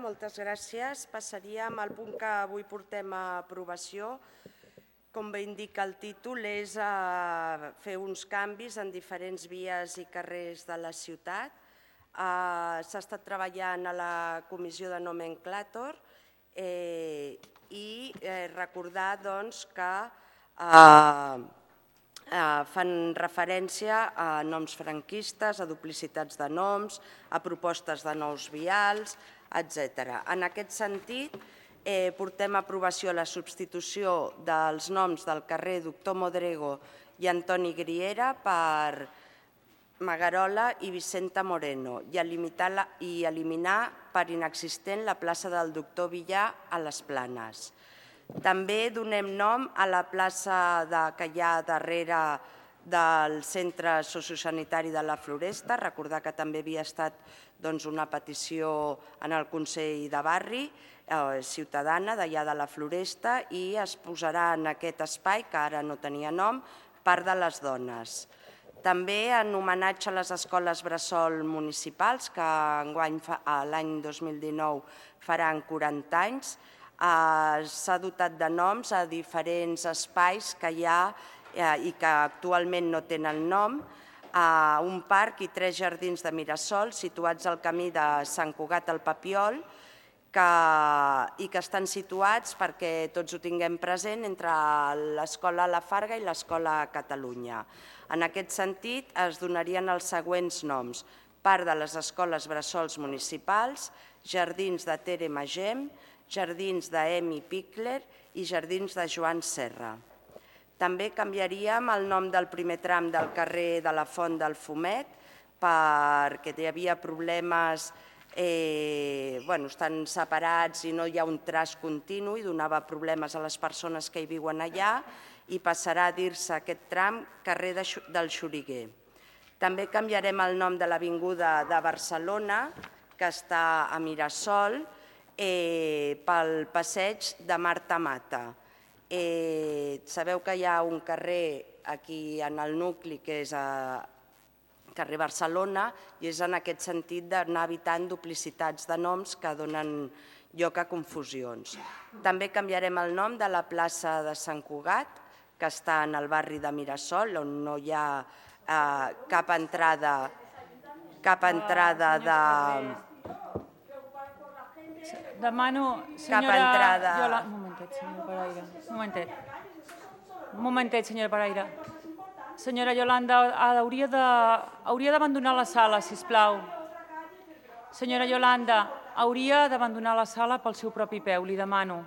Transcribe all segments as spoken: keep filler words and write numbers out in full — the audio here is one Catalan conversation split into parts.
moltes gràcies. Passaríem al punt que avui portem a aprovació. Com bé indica el títol, és fer uns canvis en diferents vies i carrers de la ciutat. S'ha estat treballant a la comissió de nomenclàtor i recordar que fan referència a noms franquistes, a duplicitats de noms, a propostes de nous vials, etcètera. En aquest sentit, portem a aprovació la substitució dels noms del carrer Doctor Modrego i Antoni Griera per Magarola i Vicenta Moreno i eliminar per inexistent la plaça del Doctor Villar a les Planes. També donem nom a la plaça que hi ha darrere del Centre Sociosanitari de la Floresta. Recordar que també havia estat una petició en el Consell de Barri ciutadana d'allà de la Floresta i es posarà en aquest espai, que ara no tenia nom, Parc de les Dones. També en homenatge a les escoles bressol municipals, que enguany l'any dos mil dinou faran quaranta anys, s'ha dotat de noms a diferents espais que hi ha i que actualment no tenen nom, un parc i tres jardins de Mirasol situats al camí de Sant Cugat al Papiol i que estan situats, perquè tots ho tinguem present, entre l'Escola La Farga i l'Escola Catalunya. En aquest sentit, es donarien els següents noms: Parc de les Escoles Bressols Municipals, Jardins de Tere Magem, Jardins d'Emi Pickler i Jardins de Joan Serra. També canviaríem el nom del primer tram del carrer de la Font del Fumet perquè hi havia problemes, estan separats i no hi ha un traç continu i donava problemes a les persones que hi viuen allà i passarà a dir-se aquest tram carrer del Xoriguer. També canviarem el nom de l'avinguda de Barcelona, que està a Mirasol, pel passeig de Marta Mata. Sabeu que hi ha un carrer aquí en el nucli que és carrer Barcelona i és en aquest sentit d'anar evitant duplicitats de noms que donen lloc a confusions. També canviarem el nom de la plaça de Sant Cugat, que està en el barri de Mirasol, on no hi ha cap entrada cap entrada de... Demano, senyora Yolanda... Un momentet, senyora Paraire. Un momentet. Un momentet, senyora Paraire. Senyora Yolanda, hauria d'abandonar la sala, sisplau. Senyora Yolanda, hauria d'abandonar la sala pel seu propi peu, li demano,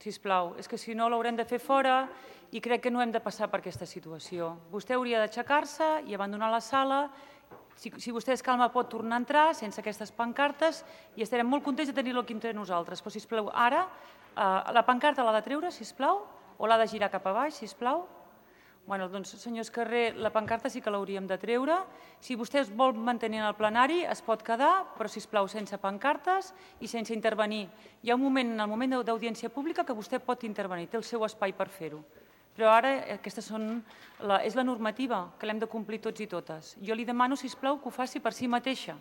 sisplau. És que si no l'haurem de fer fora i crec que no hem de passar per aquesta situació. Vostè hauria d'aixecar-se i abandonar la sala. Si vostè es calma pot tornar a entrar sense aquestes pancartes i estarem molt contents de tenir-lo aquí entre nosaltres. Però, sisplau, ara la pancarta l'ha de treure, sisplau, o l'ha de girar cap a baix, sisplau? Bé, doncs, senyor Escarrer, la pancarta sí que l'hauríem de treure. Si vostè es vol mantenir en el plenari, es pot quedar, però, sisplau, sense pancartes i sense intervenir. Hi ha un moment, en el moment d'audiència pública, que vostè pot intervenir, té el seu espai per fer-ho. Però ara aquesta és la normativa que l'hem de complir tots i totes. Jo li demano, sisplau, que ho faci per si mateixa.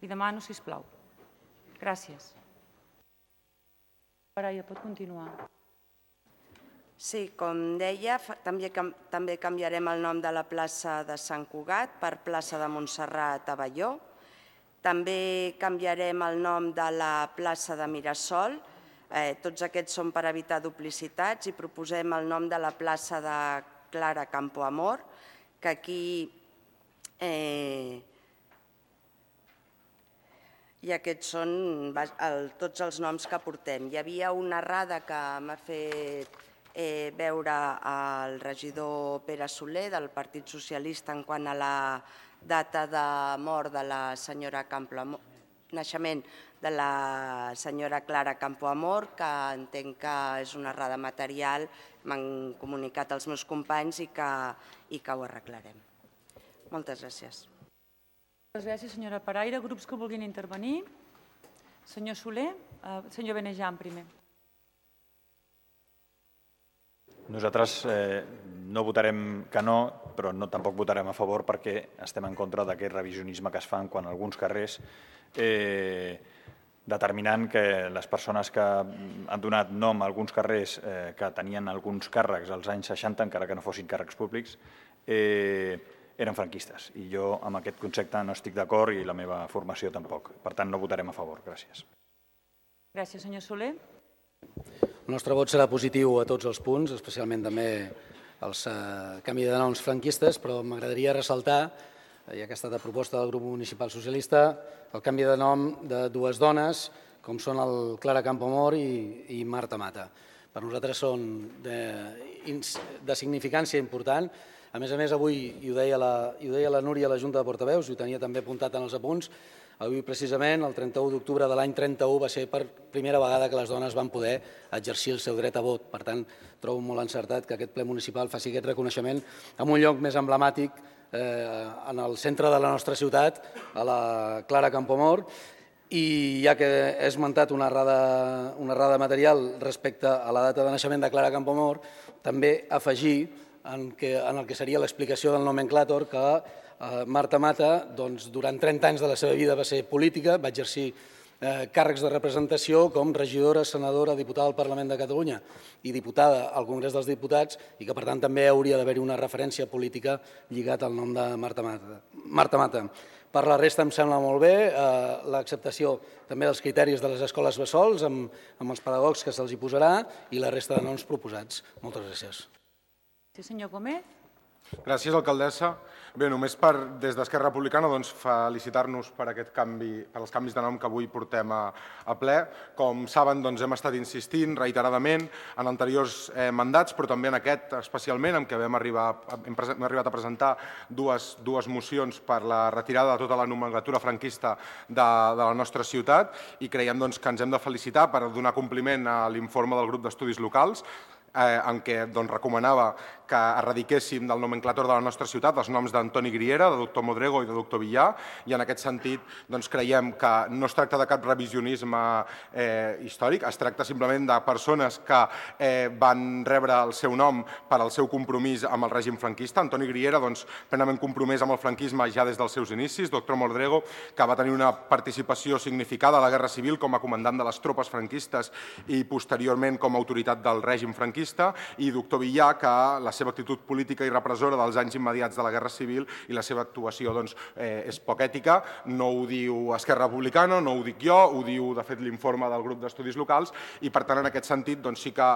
Li demano, sisplau. Gràcies. Paraire, pot continuar. Sí, com deia, també canviarem el nom de la plaça de Sant Cugat per plaça de Montserrat Abelló. També canviarem el nom de la plaça de Mirasol. Tots aquests són per evitar duplicitats i proposem el nom de la plaça de Clara Campoamor, que aquí i aquests són tots els noms que portem. Hi havia una errada que m'ha fet veure el regidor Pere Soler del Partit Socialista en quant a la data de mort de la senyora Campoamor, naixement de la senyora Clara Campoamor, que entenc que és una errada material, m'han comunicat els meus companys i que ho arreglarem. Moltes gràcies. Moltes gràcies, senyora Paraire. Grups que vulguin intervenir? Senyor Soler, senyor Benejan primer. Nosaltres no votarem que no, però tampoc votarem a favor perquè estem en contra d'aquest revisionisme que es fa quan alguns carrers determinant que les persones que han donat nom a alguns carrers que tenien alguns càrrecs als anys seixanta, encara que no fossin càrrecs públics, eren franquistes. I jo amb aquest concepte no estic d'acord i la meva formació tampoc. Per tant, no votarem a favor. Gràcies. Gràcies, senyor Soler. El nostre vot serà positiu a tots els punts, especialment també els canvi de noms franquistes, però m'agradaria ressaltar, ja que ha estat a proposta del grup municipal socialista, el canvi de nom de dues dones, com són el Clara Campoamor i Marta Mata. Per nosaltres són de significància important. A més a més, avui, i ho deia la Núria a la Junta de Portaveus, i ho tenia també apuntat en els apunts, avui precisament, el trenta-u d'octubre de l'any trenta-u, va ser per primera vegada que les dones van poder exercir el seu dret a vot. Per tant, trobo molt encertat que aquest ple municipal faci aquest reconeixement en un lloc més emblemàtic, en el centre de la nostra ciutat, a la Clara Campoamor, i ja que he esmentat una errada material respecte a la data de naixement de Clara Campoamor, també afegir en el que seria l'explicació del nomenclàtor que Marta Mata, durant trenta anys de la seva vida va ser política, va exercir càrrecs de representació com regidora, senadora, diputada al Parlament de Catalunya i diputada al Congrés dels Diputats, i que per tant també hauria d'haver-hi una referència política lligat al nom de Marta Mata. Per la resta em sembla molt bé l'acceptació també dels criteris de les escoles bressols amb els pedagogs que se'ls hi posarà i la resta de noms proposats. Moltes gràcies. Sí, senyor Gómez. Gràcies, alcaldessa. Bé, només per, des d'Esquerra Republicana, felicitar-nos per els canvis de nom que avui portem a ple. Com saben, hem estat insistint reiteradament en anteriors mandats, però també en aquest especialment, en què hem arribat a presentar dues mocions per la retirada de tota la nomenclatura franquista de la nostra ciutat, i creiem que ens hem de felicitar per donar compliment a l'informe del grup d'estudis locals, en què recomanava que erradiquéssim del nomenclàtor de la nostra ciutat els noms d'Antoni Griera, de doctor Modrego i de doctor Villar, i en aquest sentit creiem que no es tracta de cap revisionisme històric, es tracta simplement de persones que van rebre el seu nom per al seu compromís amb el règim franquista. Antoni Griera, plenament compromès amb el franquisme ja des dels seus inicis, doctor Modrego, que va tenir una participació significada a la Guerra Civil com a comandant de les tropes franquistes i posteriorment com a autoritat del règim franquista, i doctor Villar, que la seva actitud política i repressora dels anys immediats de la Guerra Civil i la seva actuació és poc ètica. No ho diu Esquerra Republicana, no ho dic jo, ho diu de fet l'informe del grup d'estudis locals, i per tant en aquest sentit sí que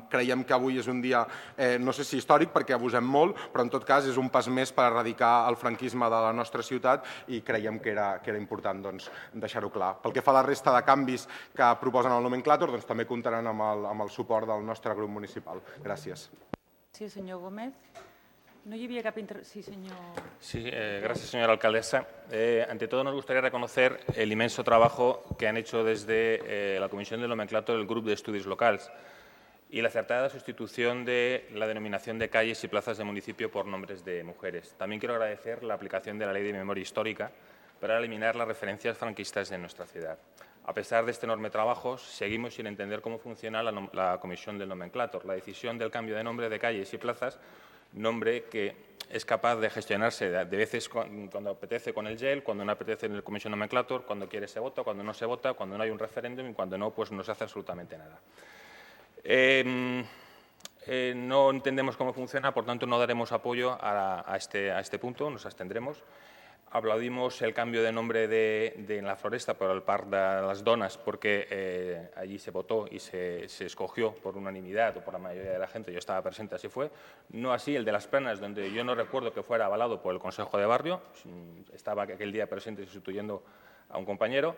creiem que avui és un dia, no sé si històric perquè abusem molt, però en tot cas és un pas més per erradicar el franquisme de la nostra ciutat i creiem que era important deixar-ho clar. Pel que fa a la resta de canvis que proposen al nomenclàtor, també comptaran amb el suport del nostre grup municipal. Gràcies. Sí, señor Gómez. No hi havia cap inter... Sí, señor. Sí, eh, gracias, señora alcaldesa. Eh, ante todo, nos gustaría reconocer el inmenso trabajo que han hecho desde eh, la Comisión del Nomenclator del Grupo de Estudios Locales y la acertada sustitución de la denominación de calles y plazas de municipio por nombres de mujeres. También quiero agradecer la aplicación de la Ley de Memoria Histórica para eliminar las referencias franquistas de nuestra ciudad. A pesar de este enorme trabajo, seguimos sin entender cómo funciona la, la Comisión del Nomenclator. La decisión del cambio de nombre de calles y plazas, nombre que es capaz de gestionarse de, de veces cuando apetece con el G E L, cuando no apetece en el Comisión Nomenclator, cuando quiere se vota, cuando no se vota, cuando no hay un referéndum y cuando no, pues no se hace absolutamente nada. Eh, eh, no entendemos cómo funciona, por tanto no daremos apoyo a, a, este, a este punto, nos abstendremos. Aplaudimos el cambio de nombre de, de en la Floresta por el Parc de las Donas porque eh, allí se votó y se, se escogió por unanimidad o por la mayoría de la gente, yo estaba presente, así fue. No así el de Las Planas, donde yo no recuerdo que fuera avalado por el Consejo de Barrio, estaba aquel día presente sustituyendo a un compañero,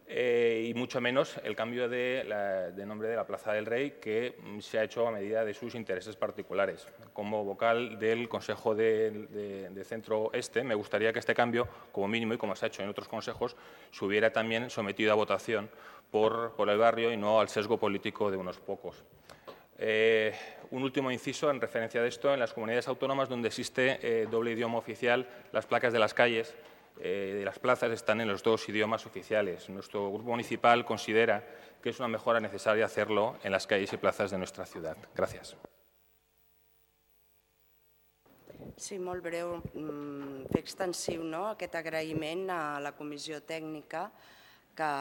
eh, y mucho menos el cambio de, la, de nombre de la Plaza del Rey, que se ha hecho a medida de sus intereses particulares. Como vocal del Consejo de, de, de Centro Este, me gustaría que este cambio, como mínimo y como se ha hecho en otros consejos, se hubiera también sometido a votación por, por el barrio y no al sesgo político de unos pocos. Eh, un último inciso en referencia de esto, en las comunidades autónomas donde existe eh, doble idioma oficial, las placas de las calles eh, de las plazas están en los dos idiomas oficiales. Nuestro grupo municipal considera que es una mejora necesaria hacerlo en las calles y plazas de nuestra ciudad. Gracias. Sí, molt breu. Fer extensiu aquest agraïment a la Comissió Tècnica que,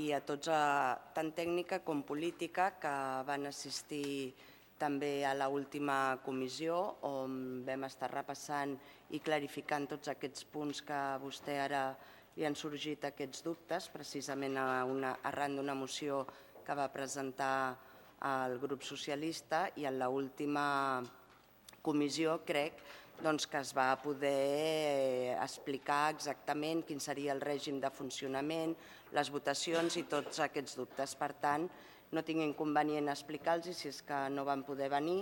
i a tots, a, tant tècnica com política, que van assistir també a l'última comissió, on vam estar repassant i clarificant tots aquests punts que a vostè ara li han sorgit aquests dubtes, precisament a una, arran d'una moció que va presentar el grup socialista, i en l'última comissió crec doncs, que es va poder explicar exactament quin seria el règim de funcionament, les votacions i tots aquests dubtes. Per tant, no tinc inconvenient a explicar-los si és que no van poder venir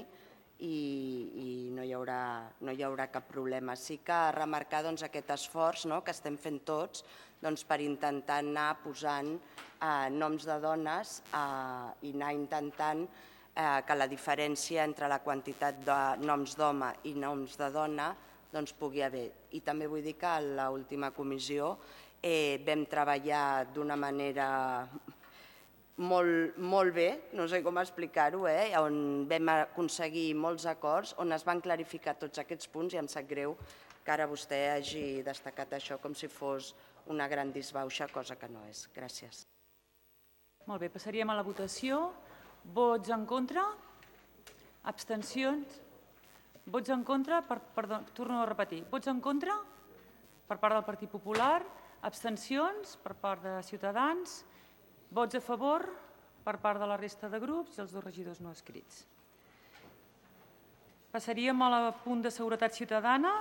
i, i no, hi haurà, no hi haurà cap problema. Sí que remarcar doncs, aquest esforç no, que estem fent tots doncs, per intentar anar posant eh, noms de dones eh, i anar intentant eh, que la diferència entre la quantitat de noms d'home i noms de dona doncs, pugui haver. I també vull dir que a l'última comissió eh, vam treballar d'una manera molt, molt bé, no sé com explicar-ho, eh, on vam aconseguir molts acords, on es van clarificar tots aquests punts, i em sap greu que ara vostè hagi destacat això com si fos una gran disbauxa, cosa que no és. Gràcies. Molt bé, passaríem a la votació. Vots en contra? Abstencions? Vots en contra? Per, perdó, torno a repetir. Vots en contra? Per part del Partit Popular. Abstencions? Per part de Ciutadans. Vots a favor? Per part de la resta de grups i els dos regidors no escrits. Passaríem al punt de seguretat ciutadana.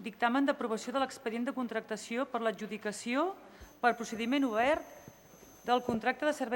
Dictamen d'aprovació de l'expedient de contractació per l'adjudicació per procediment obert del contracte de servei